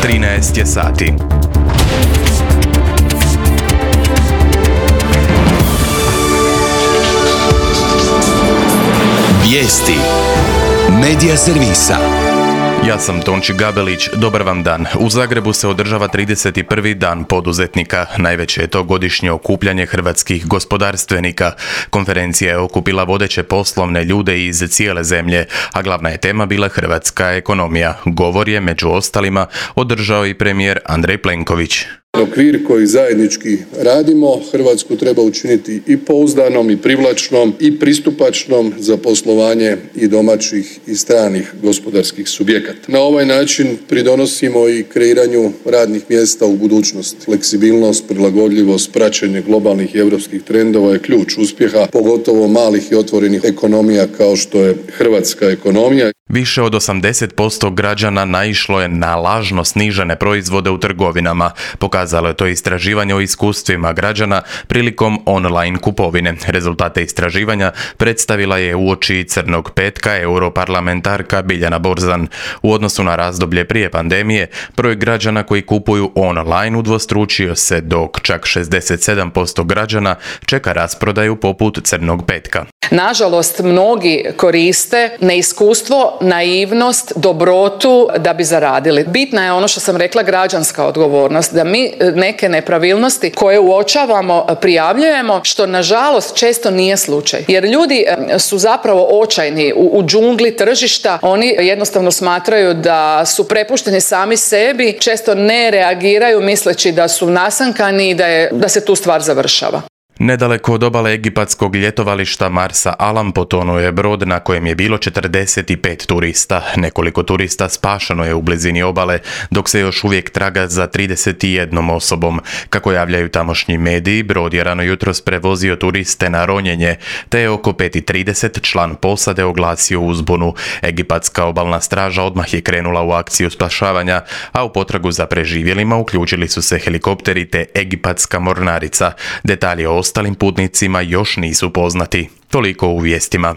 13 je sati. Vijesti Medija servisa. Ja sam Tonči Gabelić, dobar vam dan. U Zagrebu se održava 31. dan poduzetnika. Najveće je to godišnje okupljanje hrvatskih gospodarstvenika. Konferencija je okupila vodeće poslovne ljude iz cijele zemlje, a glavna je tema bila hrvatska ekonomija. Govor je, među ostalima, održao i premijer Andrej Plenković. Okvir koji zajednički radimo, Hrvatsku treba učiniti i pouzdanom i privlačnom i pristupačnom za poslovanje i domaćih i stranih gospodarskih subjekata. Na ovaj način pridonosimo i kreiranju radnih mjesta u budućnosti. Fleksibilnost, prilagodljivost, praćenje globalnih i europskih trendova je ključ uspjeha, pogotovo malih i otvorenih ekonomija kao što je hrvatska ekonomija. Više od 80% građana naišlo je na lažno snižene proizvode u trgovinama. Pokazalo je to istraživanje o iskustvima građana prilikom online kupovine. Rezultate istraživanja predstavila je uoči Crnog petka europarlamentarka Biljana Borzan. U odnosu na razdoblje prije pandemije, broj građana koji kupuju online udvostručio se, dok čak 67% građana čeka rasprodaju poput Crnog petka. Nažalost, mnogi koriste neiskustvo, naivnost, dobrotu da bi zaradili. Bitna je ono što sam rekla, građanska odgovornost, da mi neke nepravilnosti koje uočavamo prijavljujemo, što nažalost često nije slučaj. Jer ljudi su zapravo očajni u džungli tržišta, oni jednostavno smatraju da su prepušteni sami sebi, često ne reagiraju misleći da su nasankani i da se tu stvar završava. Nedaleko od obale egipatskog ljetovališta Marsa Alam potonuo je brod na kojem je bilo 45 turista. Nekoliko turista spašeno je u blizini obale, dok se još uvijek traga za 31 osobom. Kako javljaju tamošnji mediji, brod je rano jutros prevozio turiste na ronjenje, te je oko 5:30 član posade oglasio uzbunu. Egipatska obalna straža odmah je krenula u akciju spašavanja, a u potragu za preživjelima uključili su se helikopteri te egipatska mornarica. Detalji o ostalim putnicima još nisu poznati. Toliko u vijestima.